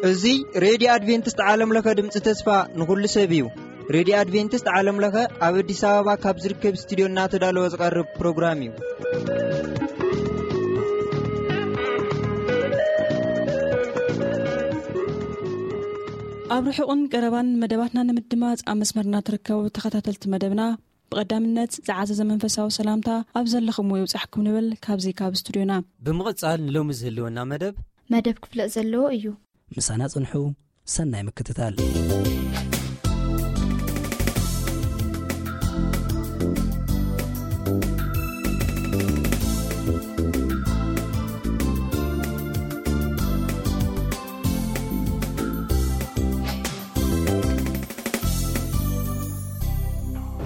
እዚ ሬድዮ ኣድቬንቲስት ዓለም ለኸ ድምፂ ተስፋ ንኹሉ ሰብ እዩ። ሬድዮ ኣድቬንቲስት ዓለም ለኸ ኣብ ኣዲስ ኣበባ ካብ ዝርከብ ስቱዲዮ እናተዳለወ ዝቐርብ ፕሮግራም እዩ። ኣብ ርሑቕን ቀረባን መደባትና ንምድማፅ ኣብ መስመርና ትርከቡ ተኸታተልቲ መደብና፣ ብቐዳምነት ዝዓዘዘ መንፈሳዊ ሰላምታ ኣብ ዘለኹምዎ ይብጻሕኩም ንብል ካብዚ ካብ ስቱድዮና። ብምቕጻል ንሎሚ ዝህልወና መደብ መደብ ክፍለጥ ዘለዎ እዩ። ምሳና ጽንሑ። ሰናይ ምክትታል።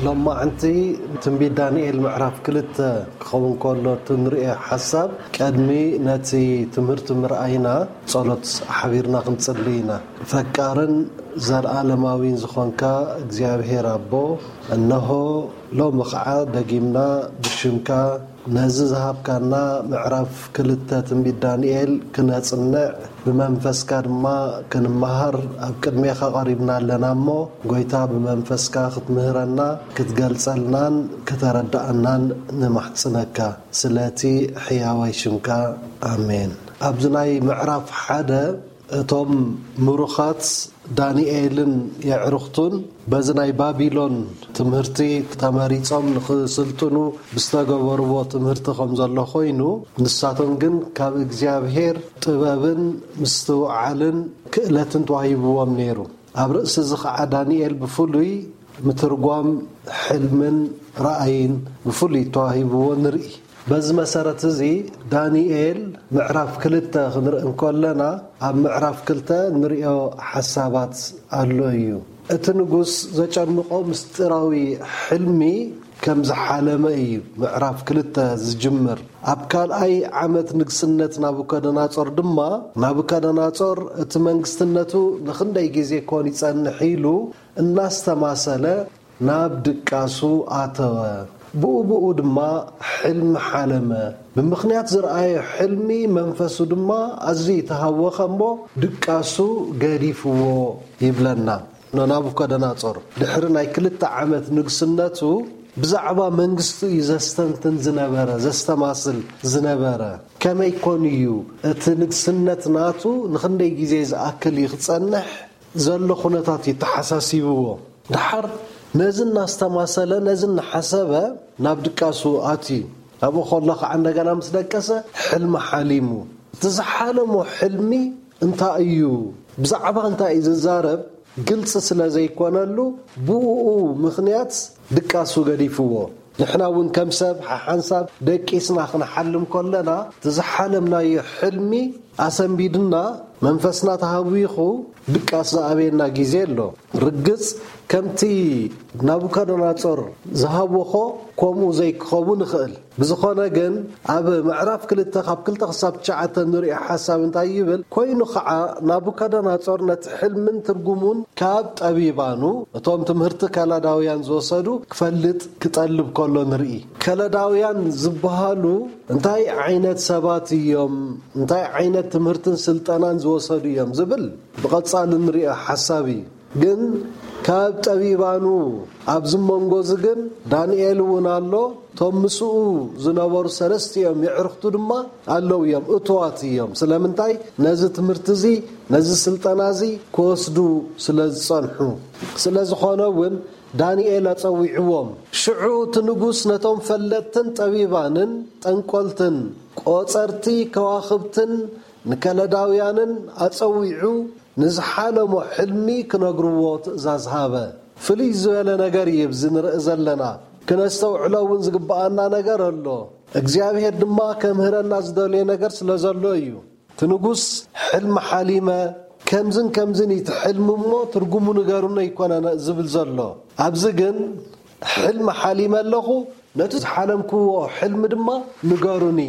ሎማዕንቲ ትንቢት ዳንኤል ምዕራፍ ክልተ ክኸውን ከሎ፣ እቲ ንርእዮ ሓሳብ፣ ቅድሚ ነቲ ትምህርቲ ምርኣይና ጸሎት ሓቢርና ክንጽሊ ኢና። ፈቃርን ዘለኣለማዊን ዝኾንካ እግዚኣብሔር ኣቦ፣ እነሆ ሎሚ ኸዓ ደጊምና ብሽምካ ነዚ ዝሃብካና ምዕራፍ ክልተ ትንቢት ዳንኤል ክነጽንዕ፣ ብመንፈስካ ድማ ክንመሃር ኣብ ቅድሜኻ ቀሪብና ኣለና እሞ፣ ጐይታ ብመንፈስካ ክትምህረና፣ ክትገልጸልናን ክተረድኣናን ንማሕጽነካ። ስለቲ ሕያዋይ ሽምካ፣ ኣሜን። ኣብዚ ናይ ምዕራፍ ሓደ እቶም ምሩኻት ዳንኤልን የዕሩኽቱን በዚ ናይ ባቢሎን ትምህርቲ ተመሪጾም ንኽስልጥኑ ብዝተገበርዎ ትምህርቲ ከም ዘሎ ኮይኑ፣ ንሳቶም ግን ካብ እግዚኣብሔር ጥበብን ምስትውዓልን ክእለትን ተዋሂብዎም ነይሩ። ኣብ ርእሲ እዚ ኸዓ ዳንኤል ብፍሉይ ምትርጓም ሕልምን ራእይን ብፍሉይ ተዋሂብዎ ንርኢ። በዚ መሰረት እዚ ዳንኤል ምዕራፍ ክልተ ክንርኢ እንከለና፣ ኣብ ምዕራፍ ክልተ ንሪኦ ሓሳባት ኣሎ እዩ። እቲ ንጉስ ዘጨንቆ ምስጢራዊ ሕልሚ ከም ዝሓለመ እዩ ምዕራፍ ክልተ ዝጅምር። ኣብ ካልኣይ ዓመት ንግስነት ናቡከደናጾር ድማ፣ ናቡከደናጾር እቲ መንግስትነቱ ንኽንደይ ግዜ ኮን ይጸንሕ ኢሉ እናስተማሰለ ናብ ድቃሱ ኣተወ። ብኡ ብኡ ድማ ሕልሚ ሓለመ። ብምኽንያት ዝረኣዮ ሕልሚ መንፈሱ ድማ ኣዝዩ ተሃወኸ እሞ ድቃሱ ገዲፍዎ ይብለና። ናቡከደናጾር ድሕሪ ናይ ክልተ ዓመት ንግስነቱ ብዛዕባ መንግስቱ እዩ ዘስተንትን ዝነበረ፣ ዘስተማስል ዝነበረ። ከመይ ኮን እዩ እቲ ንግስነት ናቱ ንኽንደይ ግዜ ዝኣክል እዩ ክጸንሕ ዘሎ ኩነታት እዩ ተሓሳሲብዎ። ደሓር ነዚ እናስተማሰለ፣ ነዚ እናሓሰበ ናብ ድቃሱ ኣትዩ። ኣብኡ ከሎ ከዓ እንደገና ምስ ደቀሰ ሕልሚ ሓሊሙ። እቲ ዝሓለሞ ሕልሚ እንታይ እዩ? ብዛዕባ እንታይ እዩ ዝዛረብ? ግልፂ ስለ ዘይኮነሉ፣ ብኡ ምኽንያት ድቃሱ ገዲፍዎ። ንሕና እውን ከም ሰብ ሓሓንሳብ ደቂስና ክንሓልም ከለና፣ እቲ ዝሓለምናዮ ሕልሚ ኣሰንቢድና፣ መንፈስና ተሃዊኹ ድቃስ ዝኣበየና ግዜ ኣሎ። ርግጽ፣ ከምቲ ናቡከደነጾር ዝሃወኾ፣ ከምኡ ዘይክኸውን ይኽእል። ብዝኾነ ግን፣ ኣብ ምዕራፍ ክልተ ካብ ክልተ ክሳብ ትሽዓተ ንሪኦ ሓሳብ እንታይ ይብል? ኮይኑ ኸዓ፣ ናቡከደነጾር ነቲ ሕልምን ትርጉሙን ካብ ጠቢባኑ፣ እቶም ትምህርቲ ከለዳውያን ዝወሰዱ፣ ክፈልጥ ክጠልብ ከሎ ንርኢ። ከለዳውያን ዝበሃሉ እንታይ ዓይነት ሰባት እዮም? እንታይ ዓይነት ትምህርትን ስልጠናን ዝወሰዱ እዮም? ዝብል ብቐጻሊ ንሪኦ ሓሳብ እዩ። ግን ካብ ጠቢባኑ ኣብዚ መንጎ እዚ ግን ዳንኤል እውን ኣሎ። እቶም ምስኡ ዝነበሩ ሰለስቲኦም የዕርኽቱ ድማ ኣለዉ እዮም፣ እቱዋት እዮም። ስለምንታይ? ነዚ ትምህርቲ እዚ፣ ነዚ ስልጠና እዚ ክወስዱ ስለ ዝጸንሑ። ስለ ዝኾነ እውን ዳንኤል ኣጸዊዕዎም። ሽዑ እቲ ንጉስ ነቶም ፈለጥትን ጠቢባንን ጠንቆልትን ቆጸርቲ ከዋኽብትን ንከለዳውያንን ኣጸዊዑ ንዝሓለሞ ሕልሚ ክነግርዎ ትእዛዝ ሃበ። ፍልይ ዝበለ ነገር እዩ ኣብዚ ንርኢ ዘለና። ክነስተውዕሎ እውን ዝግብኣና ነገር ኣሎ። እግዚኣብሔር ድማ ከምህረና ዝደልዮ ነገር ስለ ዘሎ እዩ። እቲ ንጉስ፣ "ሕልሚ ሓሊመ፣ ከምዝን ከምዝን እዩ እቲ ሕልሚ እሞ ትርጉሙ ንገሩኒ" ኣይኮነን ዝብል ዘሎ። ኣብዚ ግን፣ "ሕልሚ ሓሊመ ኣለኹ፣ ነቲ ዝሓለምክዎ ሕልሚ ድማ ንገሩኒ"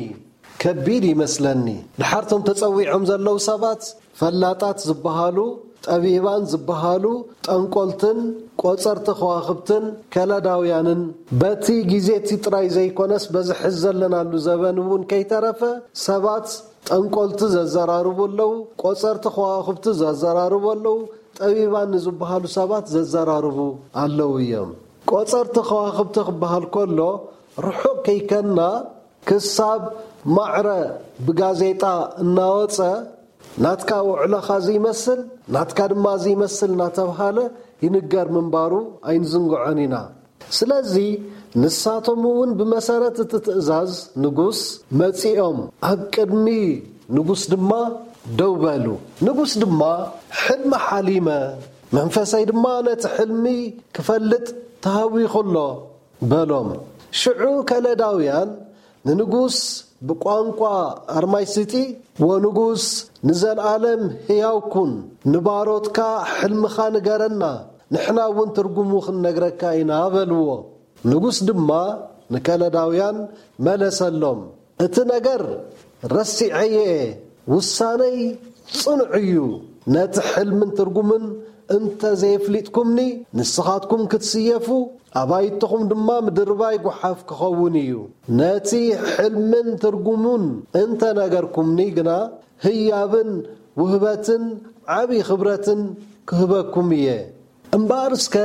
ከቢድ ይመስለኒ። ድሓር እቶም ተጸዊዖም ዘለዉ ሰባት፣ ፈላጣት ዝበሃሉ፣ ጠቢባን ዝበሃሉ ጠንቆልትን ቆጸርቲ ከዋኽብትን ከለዳውያንን፣ በቲ ግዜ እቲ ጥራይ ዘይኮነስ በዚ ሕዚ ዘለናሉ ዘበን እውን ከይተረፈ ሰባት ጠንቆልቲ ዘዘራርቡ ኣለዉ፣ ቆጸርቲ ከዋኽብቲ ዘዘራርቡ ኣለዉ፣ ጠቢባን ንዝበሃሉ ሰባት ዘዘራርቡ ኣለዉ እዮም። ቆጸርቲ ከዋኽብቲ ክበሃል ከሎ ርሑቕ ከይከና ክሳብ ማዕረ ብጋዜጣ እናወጸ ናትካ ውዕሎኻ ዘይመስል፣ ናትካ ድማ ዘይመስል እናተብሃለ ይንገር ምንባሩ ኣይንዝንግዖን ኢና። ስለዚ ንሳቶም እውን ብመሰረት እቲ ትእዛዝ ንጉስ መጺኦም ኣብ ቅድሚ ንጉስ ድማ ደው በሉ። ንጉስ ድማ ሕልሚ ሓሊመ፣ መንፈሰይ ድማ ነቲ ሕልሚ ክፈልጥ ተሃዊኹ ኣሎ በሎም። ሽዑ ከለዳውያን ንንጉስ ብቋንቋ ኣርማይስጢ፣ "ወንጉስ ንዘለዓለም ሕያው ኩን፣ ንባሮትካ ሕልምኻ ንገረና፣ ንሕና እውን ትርጉሙ ክንነግረካ ኢና" በልዎ። ንጉስ ድማ ንከለዳውያን መለሰሎም፣ "እቲ ነገር ረሲዐዮ እየ፣ ውሳነይ ጽኑዕ እዩ። ነቲ ሕልምን ትርጉምን እንተ ዘየፍሊጥኩምኒ፣ ንስኻትኩም ክትስየፉ፣ ኣባይትኹም ድማ ምድርባይ ጓሓፍ ክኸውን እዩ። ነቲ ሕልምን ትርጉሙን እንተ ነገርኩምኒ ግና፣ ህያብን ውህበትን ዓቢ ክብረትን ክህበኩም እየ። እምበኣር እስከ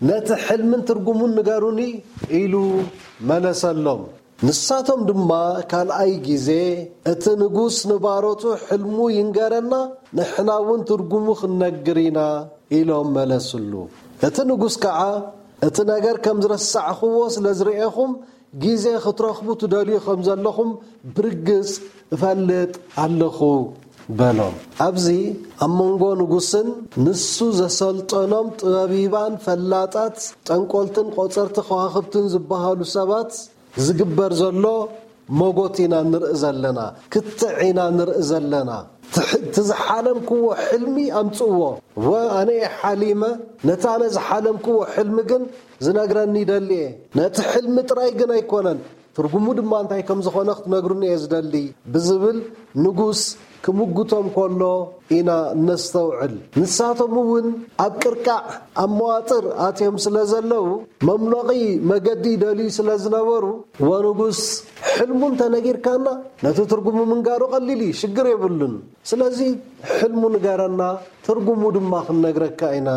ነቲ ሕልምን ትርጉሙን ንገሩኒ" ኢሉ መለሰሎም። ንሳቶም ድማ ካልኣይ ግዜ፣ "እቲ ንጉስ ንባሮቱ ሕልሙ ይንገረና፣ ንሕና እውን ትርጉሙ ክንነግር ኢና" ኢሎም መለስሉ። እቲ ንጉስ ከዓ፣ "እቲ ነገር ከም ዝረሳዕኽዎ ስለ ዝርእኹም፣ ግዜ ክትረኽቡ ትደልዩ ከም ዘለኹም ብርግጽ እፈልጥ ኣለኹ" በሎም። ኣብዚ ኣብ መንጎ ንጉስን ንሱ ዘሰልጠኖም ጠቢባን ፈላጣት ጠንቆልትን ቆጸርቲ ከዋኽብትን ዝበሃሉ ሰባት ዝግበር ዘሎ መጎት ኢና ንርኢ ዘለና፣ ክትዕ ኢና ንርኢ ዘለና። ትሕ-፣ እቲ ዝሓለምክዎ ሕልሚ ኣምጽእዎ። ወ-፣ ኣነ እየ ሓሊመ፣ ነቲ ኣነ ዝሓለምክዎ ሕልሚ ግን ዝነግረኒ ይደሊ እየ። ነቲ ሕልሚ ጥራይ ግን ኣይኮነን፣ ትርጉሙ ድማ እንታይ ከም ዝኾነ ክትነግሩኒ እየ ዝደሊ ብዝብል ንጉስ ክምጉቶም ከሎ ኢና እነስተውዕል። ንሳቶም እውን ኣብ ቅርቃዕ፣ ኣብ መዋጥር ኣትዮም ስለ ዘለዉ፣ መምለቒ መገዲ ይደልዩ ስለ ዝነበሩ፣ "ወንጉስ፣ ሕልሙ እንተነጊርካና፣ ነቲ ትርጉሙ ምንጋሩ ቀሊል እዩ፣ ሽግር የብሉን። ስለዚ ሕልሙ ንገረና፣ ትርጉሙ ድማ ክንነግረካ ኢና"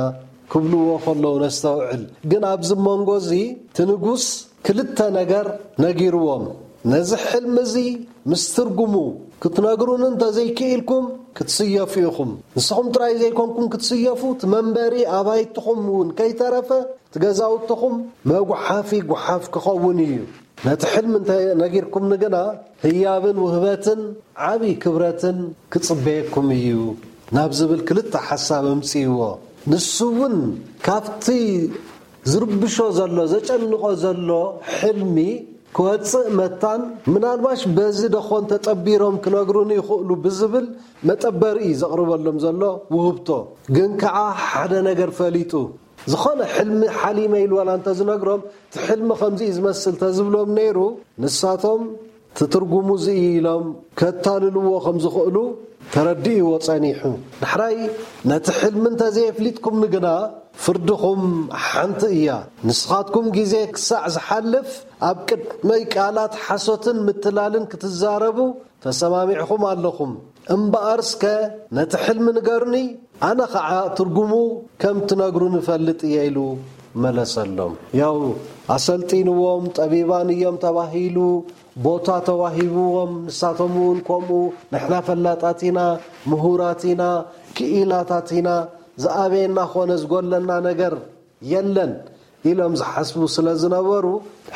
ክብልዎ ከለዉ ነስተውዕል። ግን ኣብዚ መንጎ እዚ እቲ ንጉስ ክልተ ነገር ነጊርዎም። "ነዚ ሕልሚ እዚ ምስ ትርጉሙ ክትነግሩኒ እንተዘይክኢልኩም ክትስየፉ ኢኹም። ንስኹም ጥራይ ዘይኮንኩም ክትስየፉ፣ እቲ መንበሪ ኣባይትኹም እውን ከይተረፈ እቲ ገዛውትኹም መጉሓፊ ጉሓፍ ክኸውን እዩ። ነቲ ሕልሚ እንተ ነጊርኩምኒ ግና ህያብን ውህበትን ዓቢ ክብረትን ክጽበየኩም እዩ" ናብ ዝብል ክልተ ሓሳብ ኣምጽእዎ። ንሱ እውን ካብቲ ዝርብሾ ዘሎ፣ ዘጨንቆ ዘሎ ሕልሚ ክወጽእ መታን፣ ምናልባሽ በዚ ደኾን ተጠቢሮም ክነግሩኒ ይኽእሉ ብዝብል መጠበሪ እዩ ዘቕርበሎም ዘሎ ውህብቶ። ግን ከዓ ሓደ ነገር ፈሊጡ፣ ዝኾነ ሕልሚ ሓሊመ ኢሉ ዋላ እንተዝነግሮም፣ እቲ ሕልሚ ከምዚ እዩ ዝመስል ተዝብሎም ነይሩ፣ ንሳቶም እቲ ትርጉሙ እዚ እዩ ኢሎም ከታልልዎ ከም ዝኽእሉ ተረዲእዎ ጸኒሑ። ዳሕራይ፣ "ነቲ ሕልሚ እንተዘየፍሊጥኩምኒ ግና፣ ፍርድኹም ሓንቲ እያ። ንስኻትኩም ግዜ ክሳዕ ዝሓልፍ ኣብ ቅድመይ ቃላት ሓሶትን ምትላልን ክትዛረቡ ተሰማሚዕኹም ኣለኹም። እምበኣር እስከ ነቲ ሕልሚ ንገሩኒ፣ ኣነ ኸዓ ትርጉሙ ከም ትነግሩኒ እፈልጥ እየ" ኢሉ መለሰሎም። ያው ኣሰልጢንዎም፣ ጠቢባን እዮም ተባሂሉ፣ ቦታ ተዋሂብዎም፣ ንሳቶም እውን ከምኡ፣ "ንሕና ፈላጣት ኢና፣ ምሁራት ኢና፣ ክኢላታት ኢና፣ ዝኣበየና ኾነ ዝጎለና ነገር የለን" ኢሎም ዝሓስቡ ስለ ዝነበሩ፣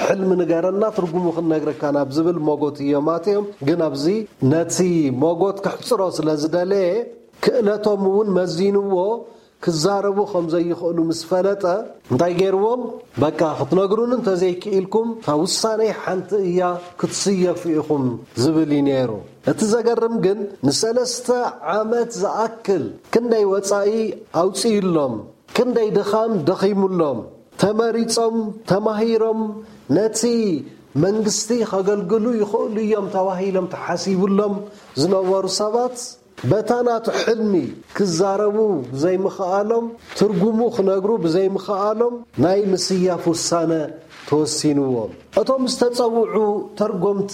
"ሕልሚ ንገረና፣ ትርጉሙ ክንነግረካ" ናብ ዝብል መጎት እዮም ኣትዮም። ግን ኣብዚ ነቲ መጎት ክሕጽሮ ስለ ዝደለየ፣ ክእለቶም እውን መዚንዎ፣ ክዛረቡ ከም ዘይኽእሉ ምስ ፈለጠ፣ እንታይ ገይርዎም? "በቃ፣ ክትነግሩኒ እንተዘይክኢልኩም፣ እታ ውሳነይ ሓንቲ እያ፣ ክትስየፉ ኢኹም" ዝብል እዩ ነይሩ። እቲ ዘገርም ግን፣ ንሰለስተ ዓመት ዝኣክል ክንደይ ወጻኢ ኣውጺእሎም፣ ክንደይ ድኻም ደኺሙሎም፣ ተመሪጾም፣ ተማሂሮም፣ ነቲ መንግስቲ ከገልግሉ ይኽእሉ እዮም ተባሂሎም ተሓሲቡሎም ዝነበሩ ሰባት፣ በታ ናቱ ሕልሚ ክዛረቡ ብዘይምኽኣሎም፣ ትርጉሙ ክነግሩ ብዘይምኽኣሎም፣ ናይ ምስያፍ ውሳነ ተወሲንዎም። እቶም ዝተጸውዑ ተርጎምቲ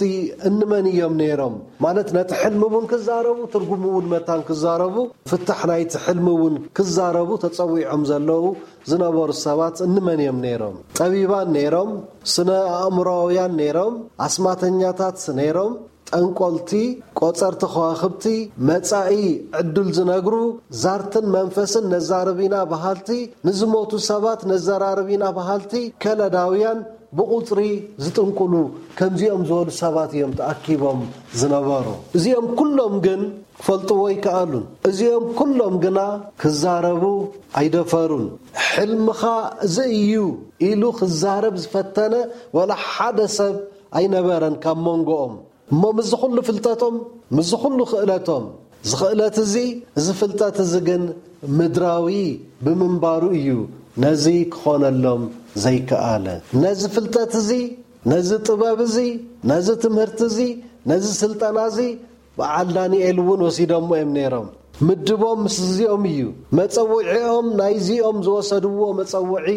እንመን እዮም ነይሮም? ማለት ነቲ ሕልሚ እውን ክዛረቡ፣ ትርጉሙ እውን መታን ክዛረቡ፣ ፍታሕ ናይቲ ሕልሚ እውን ክዛረቡ ተጸዊዖም ዘለዉ ዝነበሩ ሰባት እንመን እዮም ነይሮም? ጠቢባን ነይሮም፣ ስነ ኣእምሮኣውያን ነይሮም፣ ኣስማተኛታት ነይሮም፣ ጠንቆልቲ፣ ቆጸርቲ ከዋኽብቲ፣ መጻኢ ዕድል ዝነግሩ፣ ዛርትን መንፈስን ነዛርብ ኢና በሃልቲ፣ ንዝሞቱ ሰባት ነዘራርብ ኢና በሃልቲ፣ ከለዳውያን ብቑጽሪ ዝጥንቁሉ ከምዚኦም ዝበሉ ሰባት እዮም ተኣኪቦም ዝነበሩ። እዚኦም ኩሎም ግን ክፈልጥዎ ኣይከኣሉን። እዚኦም ኩሎም ግና ክዛረቡ ኣይደፈሩን። ሕልምኻ እዚ እዩ ኢሉ ክዛረብ ዝፈተነ ወላ ሓደ ሰብ ኣይነበረን ካብ መንጎኦም። እሞ ምስዚ ኩሉ ፍልጠቶም፣ ምስዚ ኩሉ ክእለቶም፣ እዚ ክእለት እዚ፣ እዚ ፍልጠት እዚ ግን ምድራዊ ብምንባሩ እዩ ነዚ ክኾነሎም ዘይከኣለ። ነዚ ፍልጠት እዚ፣ ነዚ ጥበብ እዚ፣ ነዚ ትምህርቲ እዚ፣ ነዚ ስልጠና እዚ በዓል ዳንኤል እውን ወሲዶሞ እዮም ነይሮም። ምድቦም ምስ እዚኦም እዩ። መጸውዒኦም ናይዚኦም ዝወሰድዎ መጸውዒ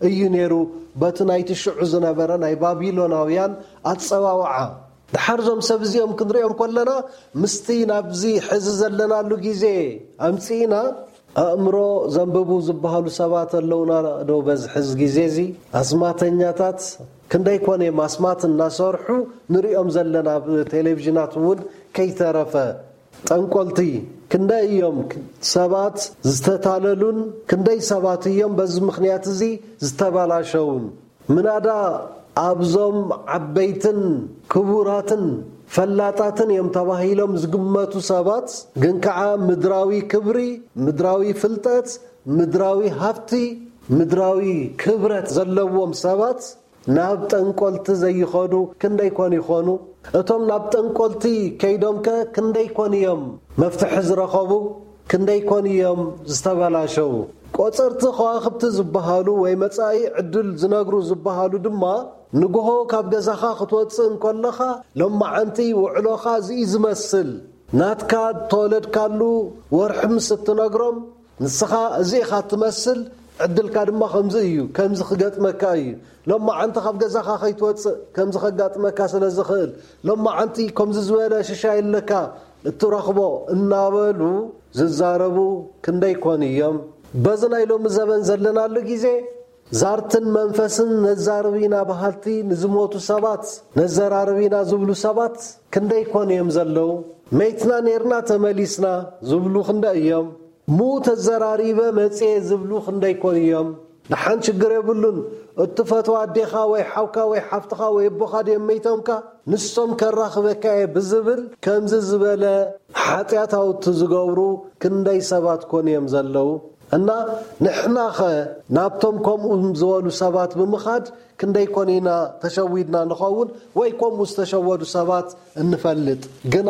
እዩ ነይሩ፣ በቲ ናይቲ ሽዑ ዝነበረ ናይ ባቢሎናውያን ኣጸዋውዓ። ድሓር እዞም ሰብ እዚኦም ክንሪኦም ከለና፣ ምስቲ ናብዚ ሕዚ ዘለናሉ ግዜ ኣምጺእና፣ ኣእምሮ ዘንብቡ ዝበሃሉ ሰባት ኣለውና ዶ በዚ ሕዚ ግዜ እዚ? ኣስማተኛታት ክንደይ ኮን እዮም ኣስማት እናሰርሑ ንሪኦም ዘለና፣ ኣብ ቴሌቪዥናት እውን ከይተረፈ። ጠንቆልቲ ክንደይ እዮም ሰባት ዝተታለሉን፣ ክንደይ ሰባት እዮም በዚ ምኽንያት እዚ ዝተበላሸውን። ምናዳ ኣብዞም ዓበይትን ክቡራትን ፈላጣትን እዮም ተባሂሎም ዝግመቱ ሰባት ግን ከዓ ምድራዊ ክብሪ፣ ምድራዊ ፍልጠት፣ ምድራዊ ሃብቲ፣ ምድራዊ ክብረት ዘለዎም ሰባት ናብ ጠንቆልቲ ዘይኸዱ ክንደይ ኮን ይኾኑ? እቶም ናብ ጠንቆልቲ ከይዶምከ ክንደይ ኮን እዮም መፍትሒ ዝረኸቡ? ክንደይ ኮን እዮም ዝተበላሸዉ? ቆጸርቲ ከዋኽብቲ ዝበሃሉ ወይ መጻኢ ዕድል ዝነግሩ ዝበሃሉ ድማ፣ ንግሆ ካብ ገዛኻ ክትወጽእ እንከለኻ፣ ሎማዓንቲ ውዕሎኻ እዚ እዩ ዝመስል። ናትካ እተወለድካሉ ወርሒ ምስ እትነግሮም፣ ንስኻ እዚ ኢኻ እትመስል፣ ዕድልካ ድማ ከምዚ እዩ፣ ከምዚ ክገጥመካ እዩ። ሎማዓንቲ ካብ ገዛኻ ከይትወጽእ ከምዚ ከጋጥመካ ስለ ዝኽእል፣ ሎማዓንቲ ከምዚ ዝበለ ሽሻይ ኣለካ፣ እትረኽቦ እናበሉ ዝዛረቡ ክንደይ ኮን እዮም? በዚ ናይ ሎሚ ዘበን ዘለናሉ ግዜ፣ ዛርትን መንፈስን ነዛርብ ኢና በሃልቲ፣ ንዝሞቱ ሰባት ነዘራርብ ኢና ዝብሉ ሰባት ክንደይ ኮን እዮም ዘለዉ? መይትና ኔርና ተመሊስና ዝብሉ ክንደይ እዮም? ምዉት ተዘራሪበ መጽየ ዝብሉ ክንደይ ኮን እዮም? ደሓን ችግር የብሉን፣ እትፈትዋ ኣዴኻ ወይ ሓውካ ወይ ሓፍትኻ ወይ ኣቦኻ ድዮም መይቶምካ? ንሶም ከራኽበካ እየ ብዝብል ከምዚ ዝበለ ሓጢኣታውቲ ዝገብሩ ክንደይ ሰባት ኮን እዮም ዘለዉ? እና ንሕናኸ ናብቶም ከምኡ ዝበሉ ሰባት ብምኻድ ክንደይ ኮን ኢና ተሸዊድና ንኸውን ወይ ከምኡ ዝተሸወዱ ሰባት እንፈልጥ? ግና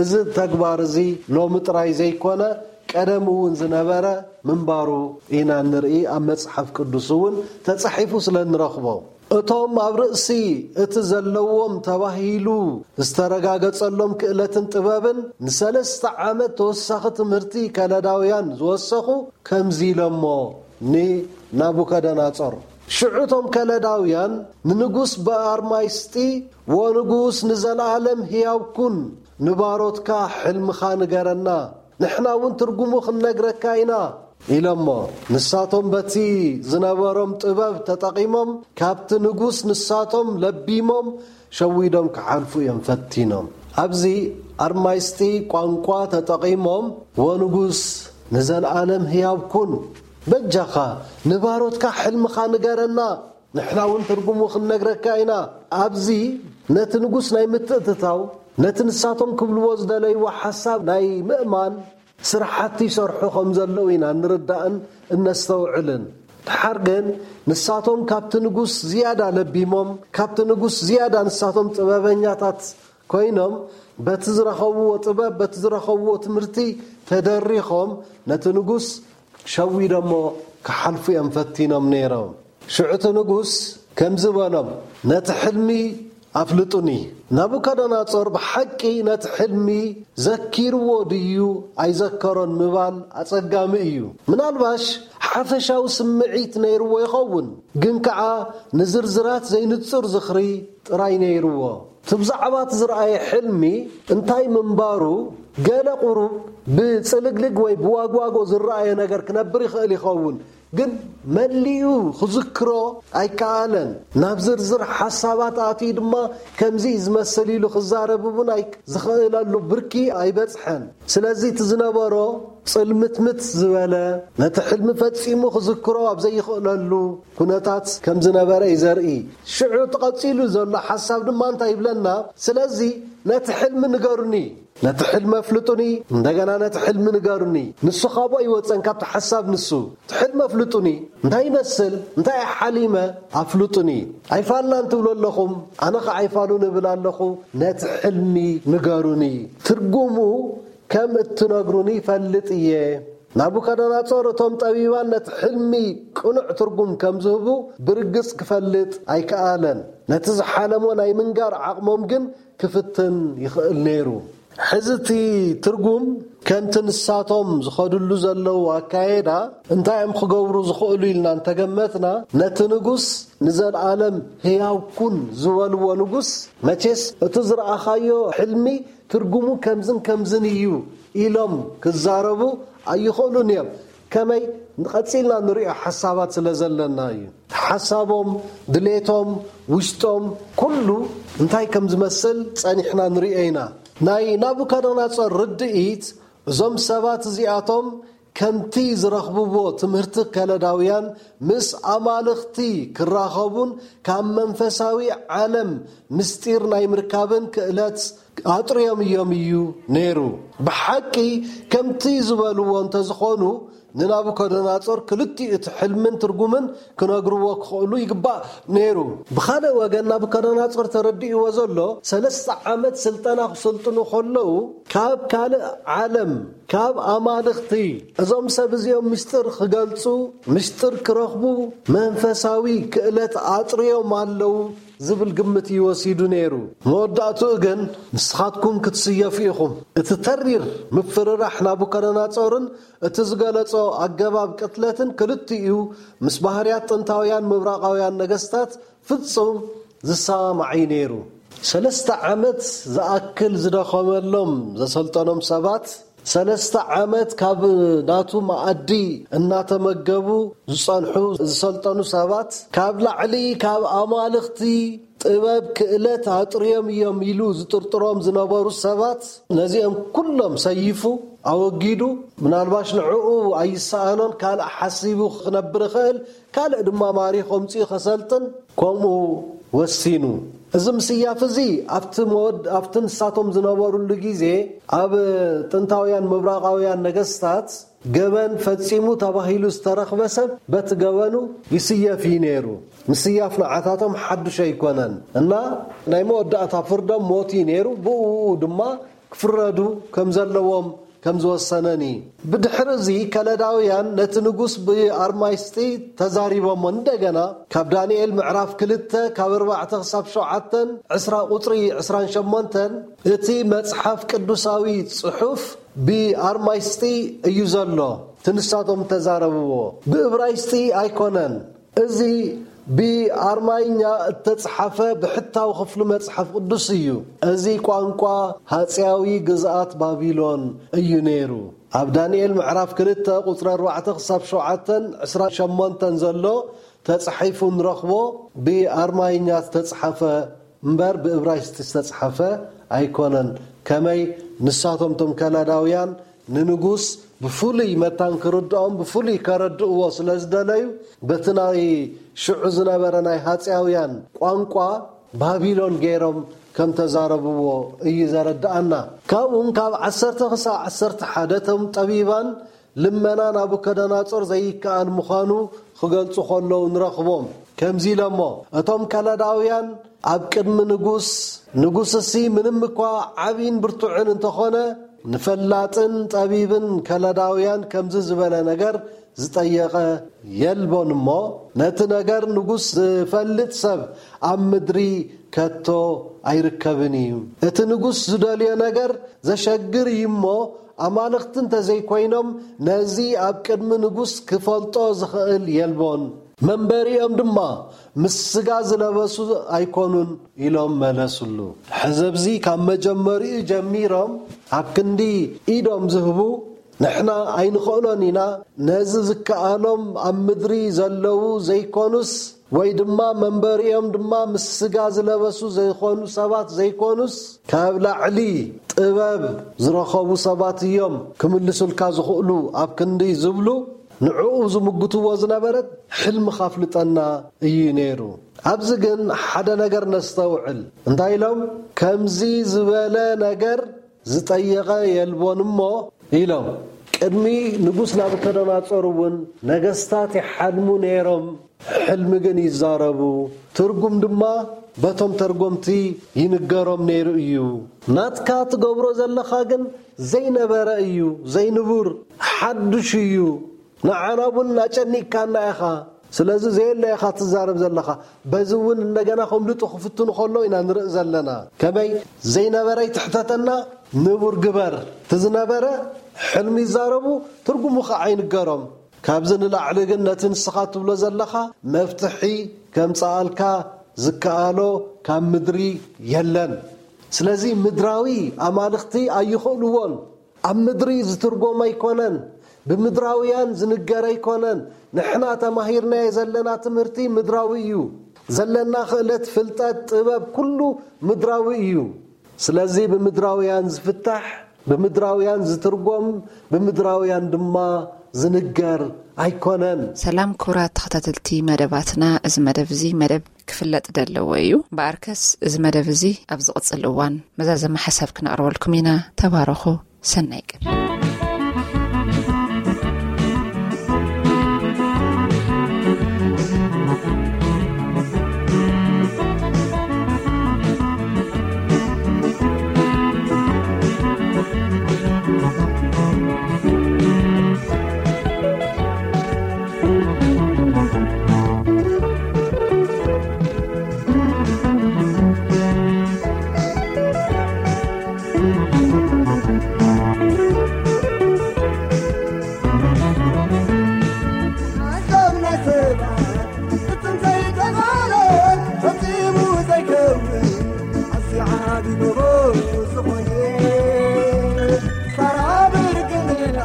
እዚ ተግባር እዚ ሎሚ ጥራይ ዘይኮነ ቀደም እውን ዝነበረ ምንባሩ ኢና ንርኢ። ኣብ መጽሓፍ ቅዱስ እውን ተጻሒፉ ስለ ንረኽቦ። እቶም ኣብ ርእሲ እቲ ዘለዎም ተባሂሉ ዝተረጋገጸሎም ክእለትን ጥበብን ንሰለስተ ዓመት ተወሳኺ ትምህርቲ ከለዳውያን ዝወሰኹ ከምዚ ኢሎሞ ንናቡከደናጾር። ሽዑ እቶም ከለዳውያን ንንጉስ ብኣርማይስጢ፣ "ወንጉስ ንዘለኣለም ህያው ኩን፣ ንባሮትካ ሕልምኻ ንገረና፣ ንሕና እውን ትርጉሙ ክንነግረካ ኢና" ኢሎሞ። ንሳቶም በቲ ዝነበሮም ጥበብ ተጠቒሞም ካብቲ ንጉስ ንሳቶም ለቢሞም ሸዊዶም ክሓልፉ እዮም ፈቲኖም። ኣብዚ ኣርማይስጢ ቋንቋ ተጠቒሞም፣ "ወንጉስ ንዘለኣለም ህያው ኩን፣ በጃኻ ንባሮትካ ሕልምኻ ንገረና፣ ንሕና እውን ትርጉሙ ክንነግረካ ኢና" ኣብዚ ነቲ ንጉስ ናይ ምትእትታው፣ ነቲ ንሳቶም ክብልዎ ዝደለይዎ ሓሳብ ናይ ምእማን ስራሓት ይሰርሑ ከም ዘለዉ ኢና ንርዳእን እነስተውዕልን። ድሓር ግን ንሳቶም ካብቲ ንጉስ ዝያዳ ለቢሞም፣ ካብቲ ንጉስ ዝያዳ ንሳቶም ጥበበኛታት ኮይኖም፣ በቲ ዝረኸብዎ ጥበብ፣ በቲ ዝረኸብዎ ትምህርቲ ተደሪኾም ነቲ ንጉስ ሸዊዶሞ ክሓልፉ እዮም ፈቲኖም ነይሮም። ሽዑ እቲ ንጉስ ከምዚ በሎም፣ "ነቲ ሕልሚ ኣፍልጡኒ። ናቡከደነጾር ብሓቂ ነቲ ሕልሚ ዘኪርዎ ድዩ ኣይዘከሮን ምባል ኣጸጋሚ እዩ። ምናልባሽ ሓፈሻዊ ስምዒት ነይርዎ ይኸውን፣ ግን ከኣ ንዝርዝራት ዘይንጹር ዝኽሪ ጥራይ ነይርዎ። እቲ ብዛዕባ እቲ ዝረኣየ ሕልሚ እንታይ ምንባሩ ገለ ቁሩብ ብጽልግልግ ወይ ብዋግዋጎ ዝረኣየ ነገር ክነብር ይኽእል ይኸውን፣ ግን መሊኡ ክዝክሮ ኣይከኣለን። ናብ ዝርዝር ሓሳባት ኣትዩ ድማ ከምዚ እዩ ዝመስል ኢሉ ክዛረብ እውን ኣይ- ዝኽእለሉ ብርኪ ኣይበጽሐን። ስለዚ እቲ ዝነበሮ ጽልምትምት ዝበለ፣ ነቲ ሕልሚ ፈጺሙ ክዝክሮ ኣብ ዘይኽእለሉ ኩነታት ከም ዝነበረ እዩ ዘርኢ። ሽዑ እቲ ቀጺሉ ዘሎ ሓሳብ ድማ እንታይ ይብለና? ስለዚ ነቲ ሕልሚ ንገሩኒ፣ ነቲ ሕልሚ ኣፍልጡኒ፣ እንደገና ነቲ ሕልሚ ንገሩኒ። ንሱ ካብኡ ኣይወጸን፣ ካብቲ ሓሳብ ንሱ። እቲ ሕልሚ ኣፍልጡኒ፣ እንታይ ይመስል፣ እንታይ ሓሊመ ኣፍልጡኒ። ኣይፋልናን ትብሉ ኣለኹም፣ ኣነ ኸዓ ኣይፋሉን እብል ኣለኹ። ነቲ ሕልሚ ንገሩኒ፣ ትርጉሙ ከም እትነግሩኒ ይፈልጥ እየ። ናቡከደነጾር እቶም ጠቢባን ነቲ ሕልሚ ቅኑዕ ትርጉም ከም ዝህቡ ብርግጽ ክፈልጥ ኣይከኣለን። ነቲ ዝሓለሞ ናይ ምንጋር ዓቕሞም ግን ክፍትን ይኽእል ነይሩ። ሕዚ እቲ ትርጉም ከምቲ ንሳቶም ዝኸድሉ ዘለዉ ኣካየዳ እንታይ እዮም ክገብሩ ዝኽእሉ ኢልና እንተገመትና፣ ነቲ ንጉስ ንዘለኣለም ህያው ኩን ዝበልዎ ንጉስ፣ መቼስ እቲ ዝረኣኻዮ ሕልሚ ትርጉሙ ከምዝን ከምዝን እዩ ኢሎም ክዛረቡ ኣይኽእሉን እዮም። ከመይ ንቐጺልና ንሪኦ ሓሳባት ስለ ዘለና እዩ። ሓሳቦም፣ ድሌቶም፣ ውሽጦም፣ ኩሉ እንታይ ከም ዝመስል ጸኒሕና ንሪኦ ኢና። ናይ ናቡከደነጾር ርድኢት፣ እዞም ሰባት እዚኣቶም ከምቲ ዝረኽብዎ ትምህርቲ ከለዳውያን ምስ ኣማልኽቲ ክራኸቡን ካብ መንፈሳዊ ዓለም ምስጢር ናይ ምርካብን ክእለት ኣጥርዮም እዮም እዩ ነይሩ። ብሓቂ ከምቲ ዝበልዎ እንተዝኾኑ ንናቡከደነጾር ክልቲኡ እቲ ሕልምን ትርጉምን ክነግርዎ ክኽእሉ ይግባእ ነይሩ። ብኻልእ ወገን ናቡከደነጾር ተረዲእዎ ዘሎ ሰለስተ ዓመት ስልጠና ክሰልጥኑ ከለዉ ካብ ካልእ ዓለም ካብ ኣማልኽቲ እዞም ሰብ እዚኦም ምስጢር ክገልጹ ምስጢር ክረኽቡ መንፈሳዊ ክእለት ኣጥርዮም ኣለዉ ዝብል ግምት እዩ ወሲዱ ነይሩ። መወዳእትኡ ግን ንስኻትኩም ክትስየፉ ኢኹም። እቲ ተሪር ምፍርራሕ ናቡከደነጾርን እቲ ዝገለጾ ኣገባብ ቅትለትን ክልቲኡ ምስ ባህርያት ጥንታውያን ምብራቓውያን ነገስታት ፍጹም ዝሰማማዕ እዩ ነይሩ። ሰለስተ ዓመት ዝኣክል ዝደኸመሎም ዘሰልጠኖም ሰባት፣ ሰለስተ ዓመት ካብ ናቱ መኣዲ እናተመገቡ ዝጸንሑ ዝሰልጠኑ ሰባት፣ ካብ ላዕሊ ካብ ኣማልኽቲ ጥበብ ክእለት ኣጥርዮም እዮም ኢሉ ዝጥርጥሮም ዝነበሩ ሰባት፣ ነዚኦም ኩሎም ሰይፉ ኣወጊዱ፣ ምናልባሽ ንዕኡ ኣይሰኣኖን ካልእ ሓሲቡ ክነብር ይኽእል፣ ካልእ ድማ ማሪኾ ኣምጺኡ ከሰልጥን ከምኡ ወሲኑ። እዚ ምስያፍ እዚ ኣብቲ መወድ ኣብቲ ንሳቶም ዝነበሩሉ ግዜ ኣብ ጥንታውያን ምብራቓውያን ነገስታት ገበን ፈጺሙ ተባሂሉ ዝተረኽበ ሰብ በቲ ገበኑ ይስየፍ እዩ ነይሩ። ምስያፍ ንዓታቶም ሓዱሽ ኣይኮነን እና ናይ መወዳእታ ፍርዶም ሞት እዩ ነይሩ። ብኡ ድማ ክፍረዱ ከም ዘለዎም ከም ዝወሰነን እዩ። ብድሕሪ እዚ ከለዳውያን ነቲ ንጉስ ብኣርማይስጢ ተዛሪቦሞ። እንደገና ካብ ዳንኤል ምዕራፍ ክልተ ካብ ኣርባዕተ ክሳብ ሸውዓተን ዕስራ ቁጽሪ ዕስራን ሸሞንተን እቲ መጽሓፍ ቅዱሳዊ ጽሑፍ ብኣርማይስጢ እዩ ዘሎ። እቲ ንሳቶም ተዛረብዎ ብእብራይስጢ ኣይኮነን። እዚ ብኣርማይኛ እተጽሓፈ ብሕታዊ ክፍሊ መጽሓፍ ቅዱስ እዩ። እዚ ቋንቋ ሃጽያዊ ግዝኣት ባቢሎን እዩ ነይሩ። ኣብ ዳንኤል ምዕራፍ ክልተ ቁጽሪ ኣርባዕተ ክሳብ ሸውዓተን ዕስራን ሸሞንተን ዘሎ ተጻሒፉ ንረኽቦ። ብኣርማይኛ ዝተጻሓፈ እምበር ብእብራይስጢ ዝተጻሓፈ ኣይኮነን። ከመይ ንሳቶም እቶም ከላዳውያን ንንጉስ ብፍሉይ መታን ክርድኦም ብፍሉይ ከረድእዎ ስለ ዝደለዩ በቲ ናይ ሽዑ ዝነበረ ናይ ሃጽያውያን ቋንቋ ባቢሎን ገይሮም ከም ተዛረብዎ እዩ ዘረድኣና። ካብኡም ካብ ዓሰርተ ክሳብ ዓሰርተ ሓደ እቶም ጠቢባን ልመና ናቡከደነጾር ዘይከኣል ምዃኑ ክገልጹ ከለዉ ንረኽቦም። ከምዚ ኢሎሞ፣ እቶም ከለዳውያን ኣብ ቅድሚ ንጉስ፣ ንጉስሲ ምንም እኳ ዓቢን ብርቱዕን እንተኾነ፣ ንፈላጥን ጠቢብን ከለዳውያን ከምዚ ዝበለ ነገር ዝጠየቐ የልቦን እሞ፣ ነቲ ነገር ንጉስ ዝፈልጥ ሰብ ኣብ ምድሪ ከቶ ኣይርከብን እዩ። እቲ ንጉስ ዝደልዮ ነገር ዘሸግር እዩ እሞ፣ ኣማልኽቲ እንተዘይኮይኖም፣ ነዚ ኣብ ቅድሚ ንጉስ ክፈልጦ ዝኽእል የልቦን። መንበሪኦም ድማ ምስ ስጋ ዝለበሱ ኣይኮኑን ኢሎም መለሱሉ። ሕዚ ኣብዚ ካብ መጀመሪኡ ጀሚሮም ኣብ ክንዲ ኢዶም ዝህቡ፣ ንሕና ኣይንኽእሎን ኢና፣ ነዚ ዝከኣሎም ኣብ ምድሪ ዘለዉ ዘይኮኑስ፣ ወይ ድማ መንበሪኦም ድማ ምስ ስጋ ዝለበሱ ዘይኮኑ ሰባት ዘይኮኑስ፣ ካብ ላዕሊ ጥበብ ዝረኸቡ ሰባት እዮም ክምልሱልካ ዝኽእሉ ኣብ ክንዲ ዝብሉ፣ ንዕኡ ዝምግትዎ ዝነበረ፣ ሕልምኻ ኣፍልጠና እዩ ነይሩ። ኣብዚ ግን ሓደ ነገር ነስተውዕል። እንታይ ኢሎም? ከምዚ ዝበለ ነገር ዝጠየቐ የልቦን እሞ ኢሎም። ቅድሚ ንጉስ ናቡከደነጾር እውን ነገስታት ይሓልሙ ነይሮም፣ ሕልሚ ግን ይዛረቡ፣ ትርጉም ድማ በቶም ተርጎምቲ ይንገሮም ነይሩ እዩ። ናትካ ትገብሮ ዘለኻ ግን ዘይነበረ እዩ፣ ዘይንቡር፣ ሓዱሽ እዩ። ንዓና እውን ኣጨኒቅካና ኢኻ። ስለዚ ዘየለ ኢኻ ትዛረብ ዘለኻ። በዚ እውን እንደገና ከምልጡ ክፍትኑ ከሎ ኢና ንርኢ ዘለና። ከመይ ዘይነበረ ይትሕተተና፣ ንቡር ግበር። እቲ ዝነበረ ሕልሚ ይዛረቡ፣ ትርጉሙ ከዓ ይንገሮም። ካብዚ ንላዕሊ ግን ነቲ ንስኻ ትብሎ ዘለኻ መፍትሒ ከምጽኣልካ ዝከኣሎ ካብ ምድሪ የለን። ስለዚ ምድራዊ ኣማልኽቲ ኣይኽእልዎን። ኣብ ምድሪ ዝትርጎም ኣይኮነን፣ ብምድራውያን ዝንገር ኣይኮነን። ንሕና ተማሂርናዮ ዘለና ትምህርቲ ምድራዊ እዩ። ዘለና ክእለት፣ ፍልጠት፣ ጥበብ፣ ኩሉ ምድራዊ እዩ። ስለዚ ብምድራውያን ዝፍታሕ፣ ብምድራውያን ዝትርጎም፣ ብምድራውያን ድማ ዝንገር ኣይኮነን። ሰላም ክቡራት ተኸታተልቲ መደባትና፣ እዚ መደብ እዚ መደብ ክፍለጥ ዘለዎ እዩ። እምበኣርከስ እዚ መደብ እዚ ኣብ ዝቕጽል እዋን መዛዘሚ ሓሳብ ክነቕርበልኩም ኢና። ተባረኹ። ሰናይ ቀን። ሓሳብ ናይ ሰባት ፍጹም ዘይተባለ፣ ፈጺሙ ዘይከውን፣ ኣዝዩ ዓቢ ጎቦ ዝኾነ፣ ሳራ ብርግምና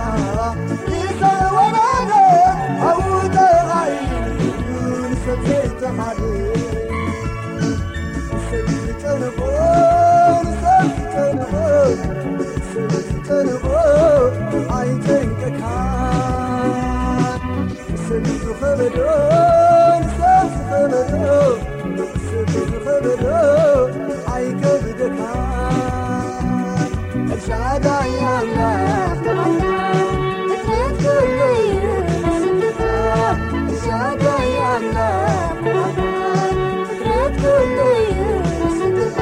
ይሰወራለ፣ ኣብኡ ተቓይሉ ንሰብ ዘይተኻለ። ሰብ ዝጨንቆ፣ ንሰብ ዝጨንቆ፣ ሰብ ዝጨንቆ ኣይጨንቀካ። ሰብ ዝኸበዶ፣ ንሰብ ዝኸበዶ፣ ሰብ ዝኸበዶ ኣይከብደካ። ኤልሻዳይ ኣምላኽ፣ ፍጥረት ኩሉ እዩ ንስምካ። ኤልሻዳይ ኣምላኽ፣ ፍጥረት ኩሉ እዩ ንስምካ።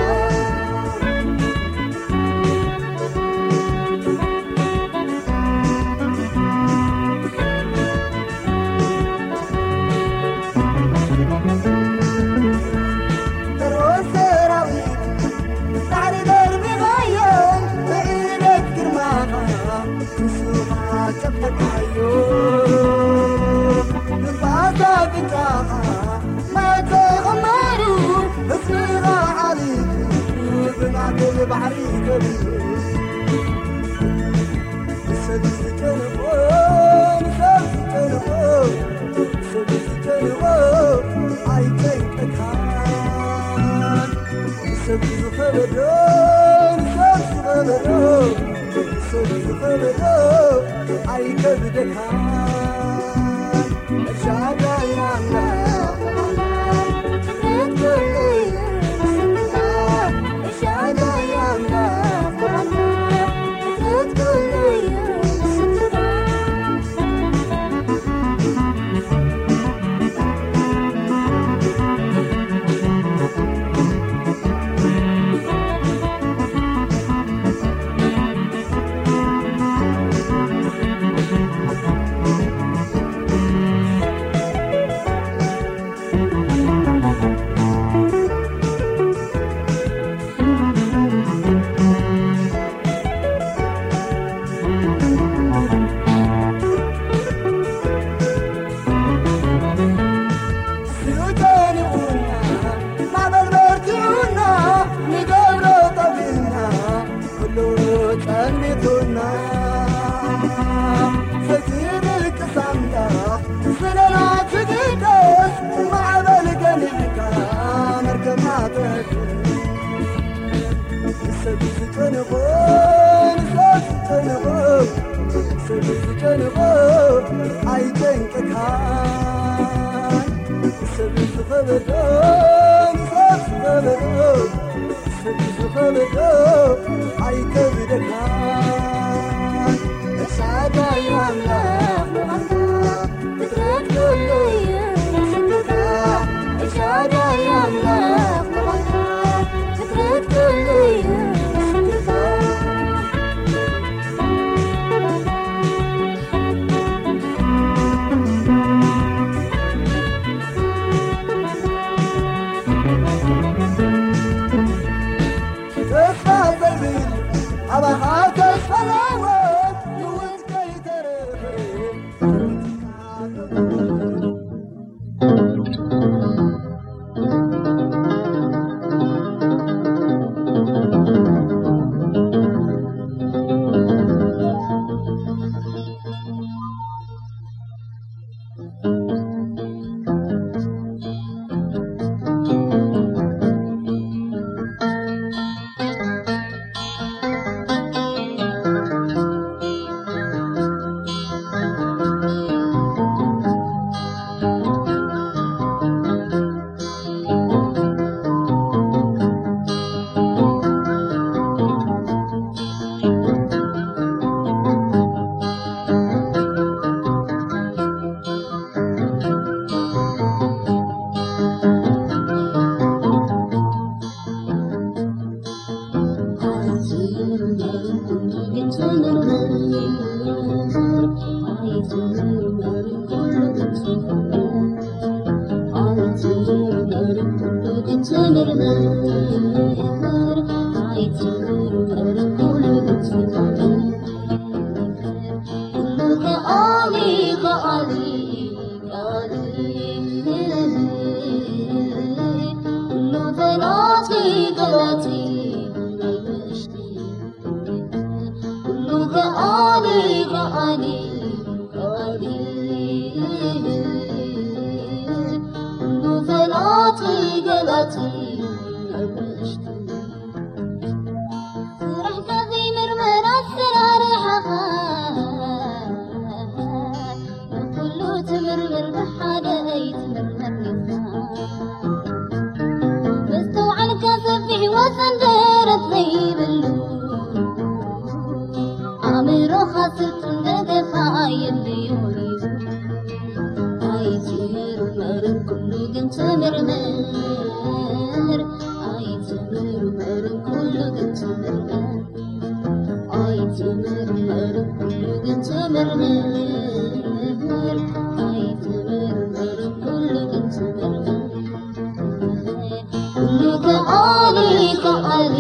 ፈርዖን ሰራዊት ባሕሪ ደርቢኻዮ፣ ብዕለት ግርማኻ ንሱ ኸኣ ጨፍለቕካዮ። ንፋስ ኣፍንጫኻ ማይ ተቐማሩ፣ ህዝብኻ ዓሊቱ ብማዕበል ባሕሪ ከቢሩ። ንሰብ ዝጨንቆ፣ ንሰብ ዝጨንቆ፣ ንሰብ ዝጨንቆ ኣይጨንቀካን። ንሰብ ዝኸበዶ፣ ንሰብ ዝኸበዶ፣ ንሰብ ዝኸበዶ ኣይከብደካን። ኤልሻዳይ ኣምላኽ፣ ፍጥረት ኩሉ እዩ ንስምካ። ኤልሻዳይ ኣምላኽ፣ ፍጥረት ኩሉ እዩ ንስምካ። ጨንቆ፣ ንሰብ ጨንቆ፣ ሰብ ዝጨንቆ ኣይጨንቀካን። ሰብ ዝኸበዶ፣ ንሰብ ዝኸበዶ፣ ሰብ ዝኸበዶ ኣይከብደካን። ኤልሻዳይ ኣምላኽ ምዃንካ ፍጥረት ኩሉ እዩ ምስክርካ። ኤልሻዳይ ኣምላኽ ምዃንካ ፍጥረት ኩሉ እዩ ምስክርካ። ተስፋ ዘይብል ኣባኻ ተስፋ ኣለዎ፣ ንውት ከይተረፈ። ስራሕካ ዘይምርመር ኣሰራርሓኻ፣ ንኩሉ ትምርምር ብሓደ ኣይትምርመር ኢልካ። መስተውዓልካ ሰፊሕ ወሰን ደረት ዘይብሉ፣ ኣእምሮኻ ስልጡን ደገፋ የድልዮ እዩ። ኣይትምርመርን ኩሉ ግን ተመርመር። ኣይትምርመርን ኩሉ ግን ተመርመር። ኣይትምርመርን ኩሉ ግን ተመርመር። ኣይትምርመርን ኩሉ ግን ተመርመር። ኩሉ ከኣሊ ከኣሊ